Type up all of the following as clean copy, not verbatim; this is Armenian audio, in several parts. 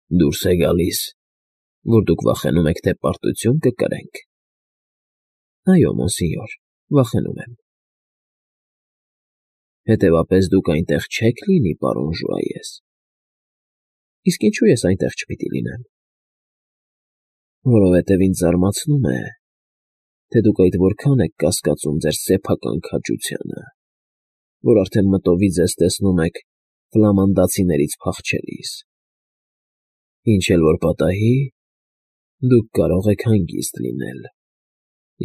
Դուրս է գալիս, որ դուք վախենում եք, թե պարտություն կկրենք։ Այո, մոնսենյոր, վախենում եմ։ Հետևաբար դուք այնտեղ չեք լինի, պարոն Ժուայես։ Իսկ ինչու ես այնտեղ չպիտի լինեմ։ Որովհետև ինձ զարմացնում է, թե դուք այդ որքան եք կասկածում ձեր սեփական քաջությանը, որ արդեն մտովի ձեզ տեսնում եք ֆլամանդացիներից փախչելիս։ Ինչ էլ որ պատահի, դուք կարող եք հանգիստ լինել,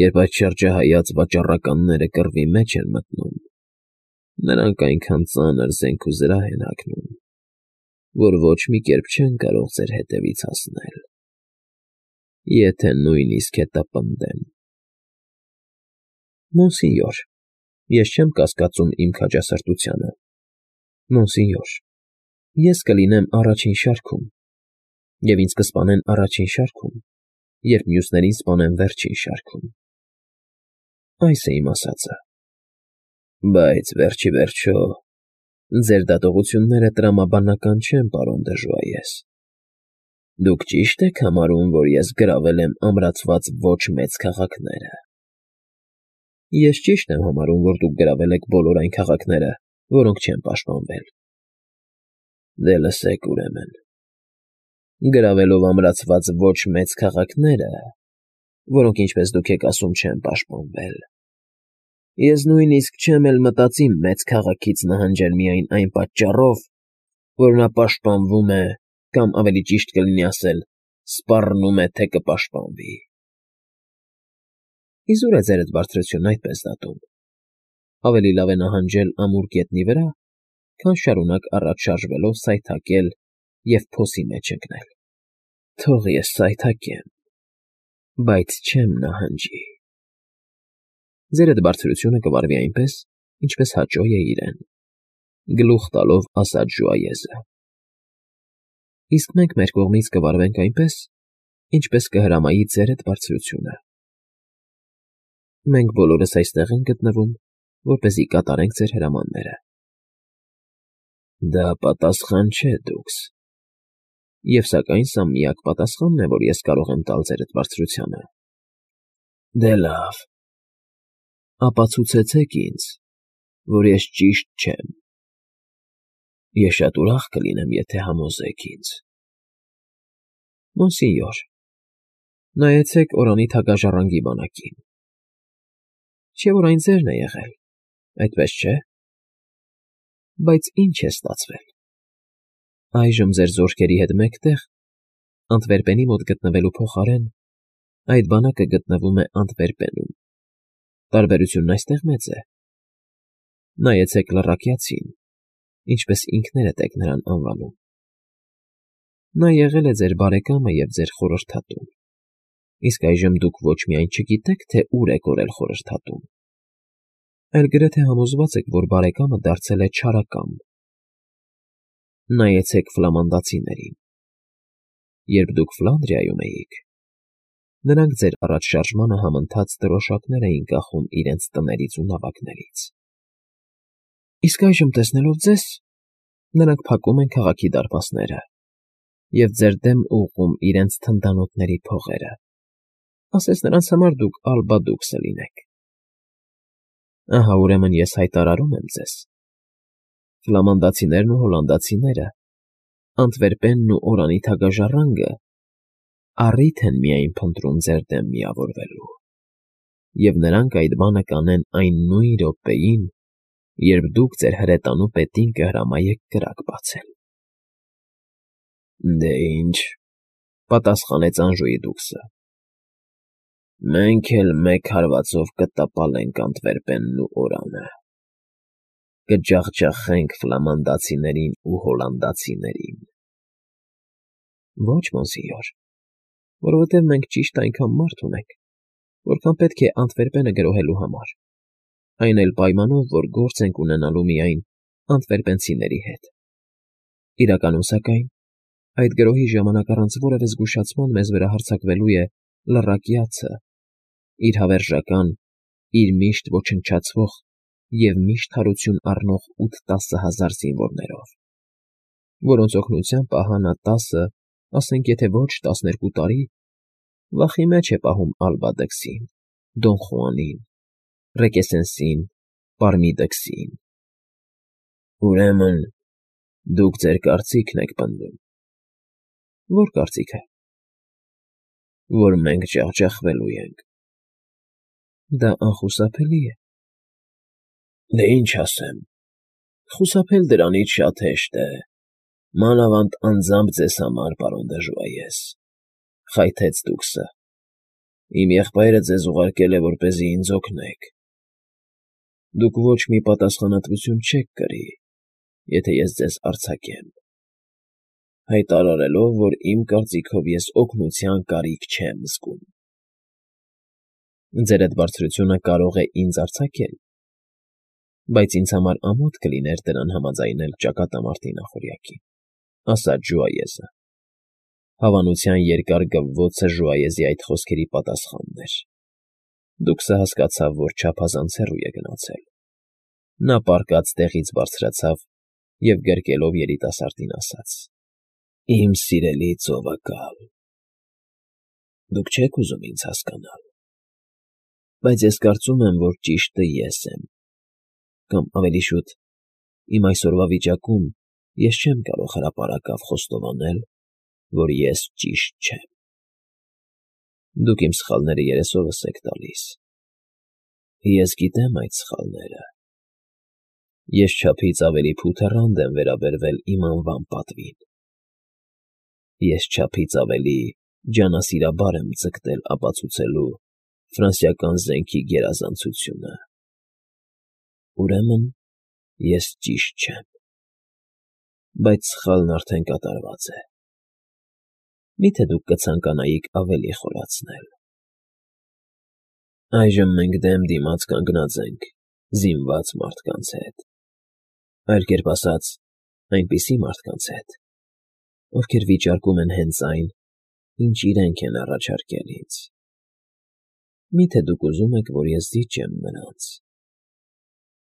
երբ այդ շրջահայաց վաճառականները կռվի մեջ են մտնում։ Նրանք այնքան ծանր զենք ու զրահ են հագնում, որ ոչ մի կերպ չեն կարող ձեր հետևից հասնել, եթե նույնիսկ հետապնդեն։ Մոնսենյոր, ես չեմ կասկածում իմ քաջասրտությանը։ Մոնսենյոր, ես կլինեմ առաջին շարքում, և ինձ կսպանեն առաջին շարքում, երբ մյուսներին սպանեն վերջին շարքում։ Այս է իմ ասածը։ Բայց վերջիվերջո, ձեր դատողությունները տրամաբանական չեն, պարոն դը Ժուայես։ Դուք ճի՞շտ եք համարում, որ ես գրավել եմ ամրացված ոչ մեծ քաղաքները։ Ես ճիշտ եմ համարում, որ դուք գրավել եք բոլոր այն քաղաքները, որոնք չեն պաշտպանվել։ Դե լսեք ուրեմն։ Գրավելով ամրացված ոչ մեծ քաղաքները, որոնք, ինչպես դուք եք ասում, չեն պաշտպանվել, ես նույնիսկ չեմ էլ մտածի մեծ քաղաքից նահանջել միայն այն պատճառով, որ նա պաշտպանվում է, կամ ավելի ճիշտ կլինի ասել, սպառնում է, թե կպաշտպանվի։ Իզուր է ձերդ բարձրությունն այդպես դատում։ Ավելի լավ է նահանջել ամուր գետնի վրա, քան շարունակ առաջ շարժվելով սայթաքել և փոսի մեջ ընկնել։ Թող ես սայթաքեմ, բայց չեմ նահանջի։ Ձերդ բարձրությունը կվարվի այնպես, ինչպես հաճո է իրեն, գլուխ տալով ասաց Ժուայեզը։ Իսկ մենք մեր կողմից կվարվենք այնպես, ինչպես կհրամայի ձերդ բարձրությունը։ Մենք բոլորս այստեղ ենք գտնվում, որպեսզի կատարենք ձեր հրամանները։ Դա պատասխան չէ, դուքս։ Եվ սակայն սա միակ պատասխանն է, որ ես կարող եմ տալ ձերդ բարձրությանը։ Դե լավ, ապացուցեցեք ինձ, որ ես ճիշտ չեմ։ Ես շատ ուրախ կլինեմ, եթե համոզեք ինձ։ Մոնսենյոր, նայեցեք Օրանի թագաժառանգի բանակին։ Չէ՞ որ այն ձերն է եղել, այդպես չէ՞։ Բայց ինչ է ստացվել։ Այժմ ձեր զորքերի հետ մեկտեղ, Անտվերպենի մոտ գտնվելու փոխարեն, այդ բանակը գտնվում է Անտվերպենում։ Տարբերությունն այստեղ մեծ է։ Նայեցեք լռակյացին, ինչպես ինքներդ եք նրան անվանում։ Նա եղել է ձեր բարեկամը և ձեր խորհրդատուն, իսկ այժմ դուք ոչ միայն չգիտեք, թե ուր է կորել խորհրդատուն, այլ գրեթե համոզված եք, որ բարեկամը դարձել է չարակամ։ Նայեցեք ֆլամանդացիներին։ Երբ դուք Ֆլանդրիայում էիք, նրանք ձեր առաջշարժմանը համընթաց դրոշակներ էին կախում իրենց տներից ու նավակներից։ Իսկ այժմ տեսնելով ձեզ, նրանք փակում են քաղաքի դարպասները և ձեր դեմ ուղղում իրենց թնդանոթների փողերը, ասես նրանց համար դուք ալբադուքսը լինեք։ Ահա ուրեմն ես հայտարարում եմ ձեզ. ֆլամանդացիներն ու հոլանդացիները, Անտվերպենն ու Օրանի թագաժառանգը առիթ են միայն փնտրում ձեր դեմ միավորվելու, և նրանք այդ բանը կանեն այն նույն րոպեին, երբ դուք ձեր հրետանու պետին կհրամայեք կրակ բացել։ Դե ինչ, պատասխանեց Անժուի դուքսը։ Մենք էլ մեկ հարվածով կտապալենք Անտվերպենն ու Օրանը, կջախջախենք ֆլամանդացիներին ու հոլանդացիներին։ Ոչ, մոնսենյոր, որովհետև մենք ճիշտ այնքան մարդ ունենք, որքան պետք է Անտվերպենը գրոհելու համար, այն էլ պայմանով, որ գործ ենք ունենալու միայն անտվերպենցիների հետ։ Իրականում, սակայն, այդ գրոհի ժամանակ առանց որևէ զգուշացման մեզ վրա հարձակվելու է լռակյացը, իր հավերժական, իր միշտ ոչնչացվող և միշտ հարություն առնող 8-10 հազար զինվորներով, որոնց օգնությամբ ահա նա 10 ասենք եթե ոչ 12 տարի, վախի մեջ է պահում Ալբա Դքսին, Դոն Խուանին, Ռեկեսենսին, Պարմի Դքսին։ Ուրեմն դուք ձեր կարծիքն եք պնդում։ Ո՞ր կարծիքը։ Որ մենք ջախջախվելու ենք։ Դա անխուսափելի է։ Դե ինչ ասեմ, խուսափել դրանից շատ հեշտ է, մանավանդ անձամբ ձեզ համար, պարոն դժվայես, խայթեց Դուքսը։ Իմ եղբայրը ձեզ ուղարկել է, որպեսզի ինձ օգնեք։ Դուք ոչ մի պատասխանատվություն չեք կրի, եթե ես ձեզ արձակեմ, հայտարարելով, որ իմ կարծիքով ես օգնության կարիք չեմ զգում։ Ձեր այդ բարձրությունը կարող է ինձ արձակել, բայց ինձ համար ամոթ կլիներ դրան համաձայնել ճակատամարտի նախօրյակին, ասաց Ժուայեզը։ Հավանության երկար գվվոցը Ժուայեզի այդ խոսքերի պատասխանն էր։ Դուքսը հասկացավ, որ չափազանց հեռու է գնացել։ Նա պառկած տեղից բարձրացավ և գրկելով երիտասարդին ասաց. Իմ սիրելի ծովակալ, դուք չեք ուզում ինձ հասկանալ, բայց ես կարծում եմ, որ ճիշտը ես եմ, կամ ավելի շուտ, իմ այսօրվա վիճակում ես չեմ կարող հրապարակավ խոստովանել, որ ես ճիշտ չեմ։ Դուք իմ սխալները երեսովս եք տալիս։ Ես գիտեմ այդ սխալները։ Ես չափից ավելի փութեռանդ եմ վերաբերվել իմ անվան պատվին։ Ես չափից ավելի ջանասիրաբար եմ ձգտել ապացուցելու ֆրանսիական զենքի գերազանցությունը։ Ուրեմն ես ճիշտ չեմ, բայց սխալն արդեն կատարված է։ Մի՞թե դուք կցանկանայիք ավելի խորացնել։ Այժմ մենք դեմ դիմաց կանգնած ենք զինված մարդկանց հետ, այլ կերպ ասած, այնպիսի մարդկանց հետ, ովքեր վիճարկում են հենց այն, ինչ իրենք են առաջարկել ինձ։ Մի՞թե դուք ուզում եք, որ ես զիջեմ նրանց,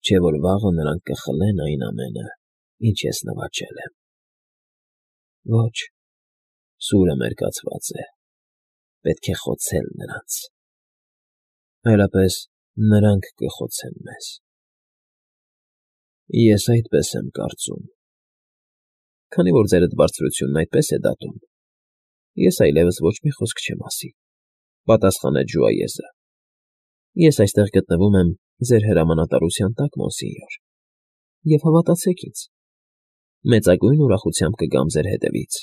չէ՞ որ վաղը նրանք կխլեն այն ամենը, ինչ ես նվաճել եմ։ Ոչ, սուրը մերկացված է, պետք է խոցել նրանց։ Այլապես նրանք կխոցեն մեզ։ Ես այդպես եմ կարծում։ Քանի որ ձեր այդ բարձրությունն այդպես է դատում, ես այլևս ոչ մի խոսք չեմ ասի, պատասխանեց Ժուայեզը։ Ես այստեղ գտնվում եմ ձեր հրամանատարության տակ, մոնսինյոր, և հավատացեք ինձ, մեծագույն ուրախությամբ կգամ ձեր հետևից,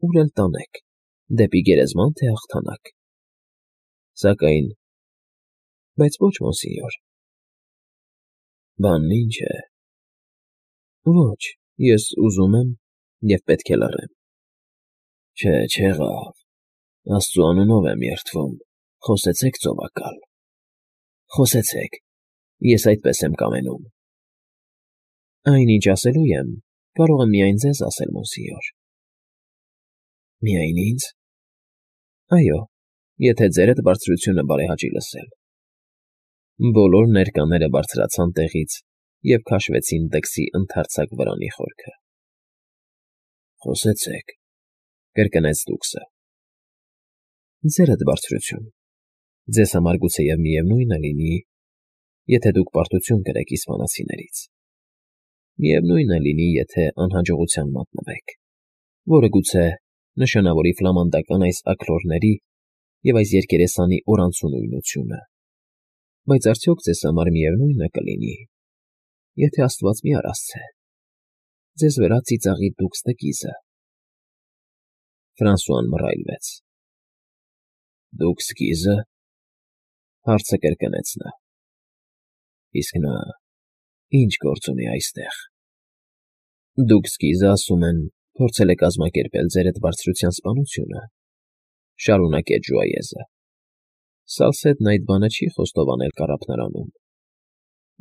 ուր էլ տանեք, դեպի գերեզման թե հաղթանակ։ Սակայն, բայց ոչ, մոնսինյոր։ Բանն ինչ է։ Ոչ, ես ուզում եմ և պետք է լռեմ։ Չէ, չեղավ, Աստծու անունով եմ երդվում, խոսեցեք, ծովակալ, խոսեցեք, ես այդպես եմ կամենում։ Այն, ինչ ասելու եմ, կարող եմ միայն ձեզ ասել, մոնսինյոր։ Միայն ինձ։ Այո, եթե ձեր այդ բարձրությունը բարեհաճի լսել։ Բոլոր ներկաները բարձրացան տեղից և քաշվեցին Դքսի ընդարձակ վրանի խորքը։ Խոսեցեք, կրկնեց Դուքսը։ Ձեր այդ բարձրություն, ձեզ համար գուցեև միևնույն է լինի, եթե դուք պարտություն կրեք իսպանացիներից։ Միևնույն է լինի, եթե անհաջողության մատնվեք, որը գուցե նշանավորի ֆլամանդական այս աքլորների և այս երկերեսանի օրանցունույնությունը, բայց արդյոք ձեզ համար միևնույն է կլինի, եթե Աստված մի արասցե, ձեզ վրա ծիծաղի Դուքս տկիզը։ Ֆրանսուան մռայլվեց։ Դուքս գիզը, հարցը կրկնեց նա։ Իսկ նա ինչ գործ ունի այստեղ։ Դուքս գիզը, ասում են, փորձել է կազմակերպել ձեր այդ բարձրության սպանությունը, շարունակեց Ժուայեզը։ Սալսեթն այդ բանը չի խոստովանել կառափնարանում,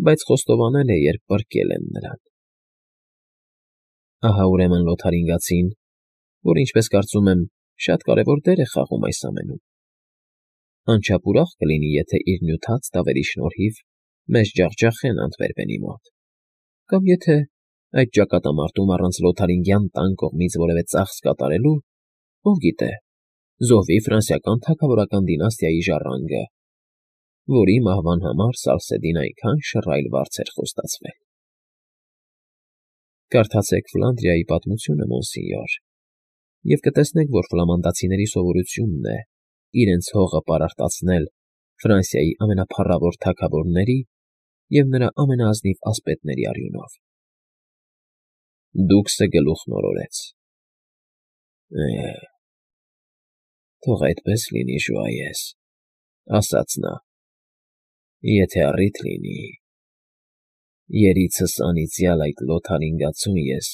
բայց խոստովանել է, երբ պառկել են նրան։ Ահա ուրեմն Լոթարինգացին, որ ինչպես կարծում եմ, շատ կարևոր դեր է խաղում այս ամենում, անչափ ուրախ կլինի, եթե իր նյութած տավերի շնորհիվ մեզ ջախջախեն Անտվերպենի մոտ, կամ եթե այդ ճակատամարտում առանց Լոթարինգյան տան կողմից որևէ ծախս կատարելու ով գիտե, զոհվի ֆրանսիական թագավորական դինաստիայի ժառանգը, որի մահվան համար Սալսեդին այնքան շռայլ վարձ էր խոստացվել։ Կարդացեք Ֆլանդրիայի պատմությունը, մոնսինյոր, և կտեսնեք, որ ֆլամանդացիների սովորությունն է իրենց հողը պարարտացնել Ֆրանսիայի ամենափառավոր թագավորների և նրա ամենաազնիվ ասպետների արյունով։ Դուքսը գլուխն օրորեց։ Թող այդպես լինի, Ժուայես, ասաց նա, եթե առիթ լինի, երիցս անիծյալ այդ լոթարինգացուն ես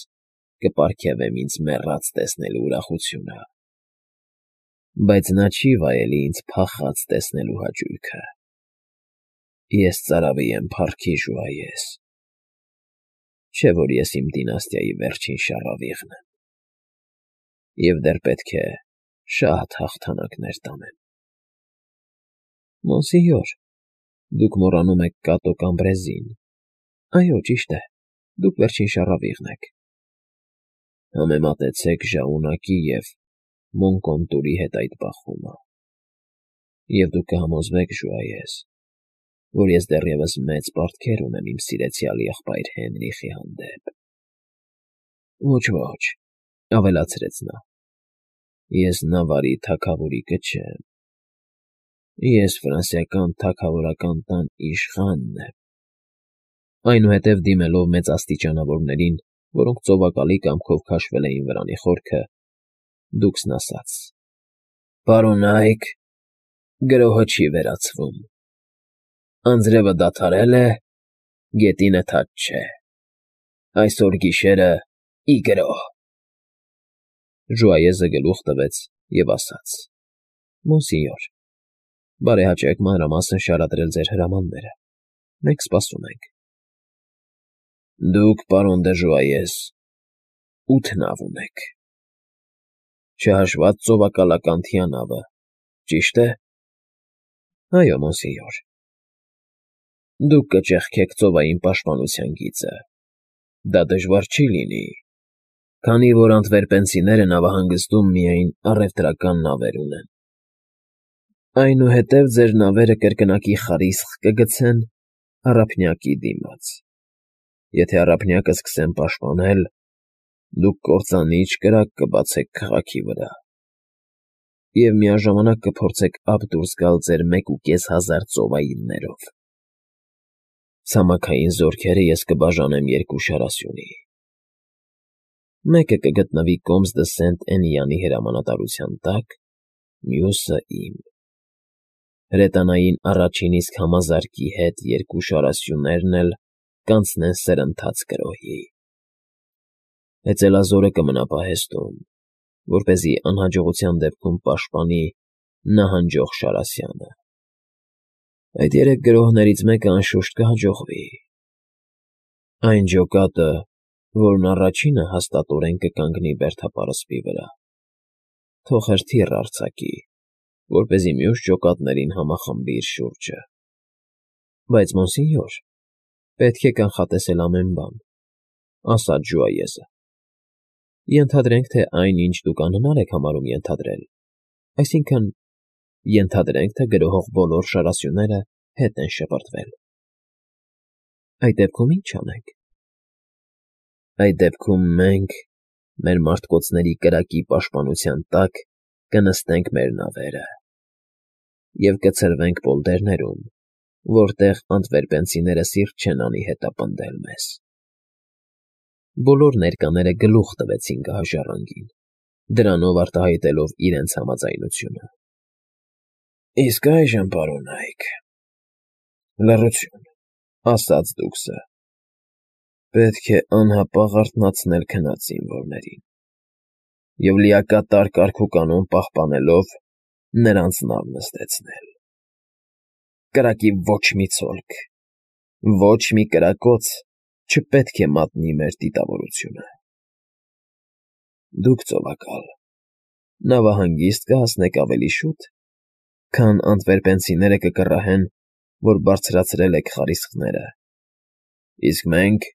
կպարգևեմ ինձ մեռած տեսնելու ուրախությունը, բայց նա չի վայելի ինձ փախած տեսնելու հաճույքը։ Ես ծարավի եմ փառքի, Ժուայես, չէ՞ որ ես իմ դինաստիայի վերջին շառավիղն եմ, և դեռ պետք է շատ հաղթանակներ տանեմ։ Մոնսինյոր, դուք մոռանում եք Կատո Կամբրեզին։ Այո, ճիշտ է, դուք վերջին շառավիղն եք։ Համեմատեցեք Ժաունակի և Մոնկոնտուրի հետ այդ բախումը, և դուք կհամոզվեք, Ժուայես, որ ես դեռևս մեծ պարտքեր ունեմ իմ սիրեցյալ եղբայր Հենրիխի հանդեպ։ Ոչ, ավելացրեց նա, ես նավարի թագավորիկը չեմ, ես ֆրանսիական թագավորական տան իշխանն եմ։ Այնուհետև դիմելով մեծաստիճանավորներին, որոնք ծովակալի կամքով քաշվել էին վրանի խորքը, Դուքսն ասաց. «Պարոնայք, գրոհը չի վերացվում։ Անձրևը դադարել է, գետինը թաց չէ։ Այսօր գիշերը ի գրոհ»։ Ժուայեզը գլուխ տվեց և ասաց. «Մոնսինյոր, բարեհաճեք մանրամասն շարադրել ձեր հրամանները, մենք սպասում ենք»։ Դուք, պարոն դը Ժուայես, 8 նավ ունեք, չհաշված ծովակալական թիանավը, ճիշտ է։ Այո, մոնսինյոր։ Դուք կճեղքեք ծովային պաշտպանության գիծը, դա դժվար չի լինի, քանի որ անտվերպենցիները նավահանգստում միայն առևտրական նավեր ունեն։ Այնուհետև ձեր նավերը կրկնակի խարիսխ կգցեն առափնյակի դիմաց։ Եթե առափնյակը սկսեն պաշտպանել, դուք կործանիչ կրակ կբացեք քաղաքի վրա և միաժամանակ կփորձեք ափ դուրս գալ ձեր 1500 ծովայիններով։ Ցամաքային զորքերը ես կբաժանեմ 2 շարասյունի. մեկը կգտնվի Կոմս դը Սենտ֊Էնյանի հրամանատարության տակ, մյուսը՝ իմ։ Հրետանային առաջին իսկ համազարկի հետ 2 շարասյուներն էլ կանցնեն սրընթաց գրոհի։ Հեծելազորը կմնա պահեստում, որպեսզի անհաջողության դեպքում պաշտպանի նահանջող Շարասյանը։ Այդ 3 գրոհներից մեկը անշուշտ կհաջողվի։ Այն ջոկատը, որն առաջինը հաստատորեն կկանգնի բերդապարսպի վրա, թող հրթիռ արձակի, որպեսզի մյուս ջոկատներին համախմբի իր շուրջը։ Բայց, մոնսինյոր, պետք է կանխատեսել ամեն բան, ասաց Ժուայեզը։ Ենթադրենք, թե այն, ինչ դուք անհնար եք համարում ենթադրել, այսինքն, ենթադրենք, թե գրոհող բոլոր շարասյուները հետ են շպրտվել։ Այդ դեպքում ի՞նչ անենք։ Այդ դեպքում մենք, մեր մարտկոցների կրակի պաշտպանության տակ, կնստենք մեր նավերը և կցրվենք պոլդերներում, որտեղ անտվերպենցիները սիրտ չեն անի հետապնդել մեզ։ Բոլոր ներկաները գլուխ տվեցին գահաժառանգին, դրանով արտահայտելով իրենց համաձայնությունը։ Իսկ այժմ, պարոնայք, լռություն, ասաց Դուքսը, պետք է անհապաղ արթնացնել քնած զինվորներին և լիակատար կարգուկանոն պահպանելով նրանց նավ նստեցնել։ Կրակի ոչ մի ցոլք, ոչ մի կրակոց չպետք է մատնի մեր դիտավորությունը։ Դուք, ծովակալ, նավահանգիստ կհասնեք ավելի շուտ, քան անտվերպենցիները կկռահեն, որ բարձրացրել եք խարիսխները, իսկ մենք,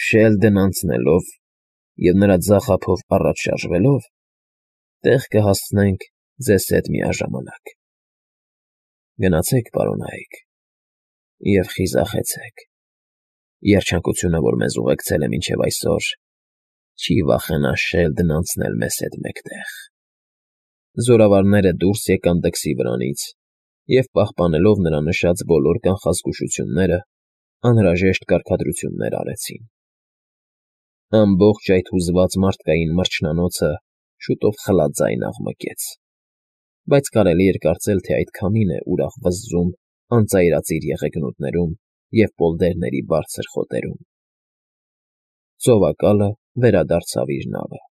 Շելդն անցնելով և նրա ձախ ափով առաջ շարժվելով, Տեղ կհասցնենք ձեզ հետ միաժամանակ։ Գնացեք, պարոնայք, և խիզախեցեք։ Երջանկությունը, որ մեզ ուղեկցել է մինչև այսօր, չի վախենա շելդն անցնել մեզ հետ մեկտեղ։ Զորավարները դուրս եկան դքսի վրանից և, պահպանելով նրա նշած բոլոր կանխազգուշությունները, անհրաժեշտ կարգադրություններ արեցին։ Ամբողջ այդ հուզված մարդկային մրջնանոցը շուտով խլաձայն աղմկեց, բայց կարելի էր կարծել, թե այդ քամին է ուրախ վզզում անծայրածիր եղեգնուտներում և պոլդերների բարձր խոտերում։ Ծովակալը վերադարձավ իր նավը։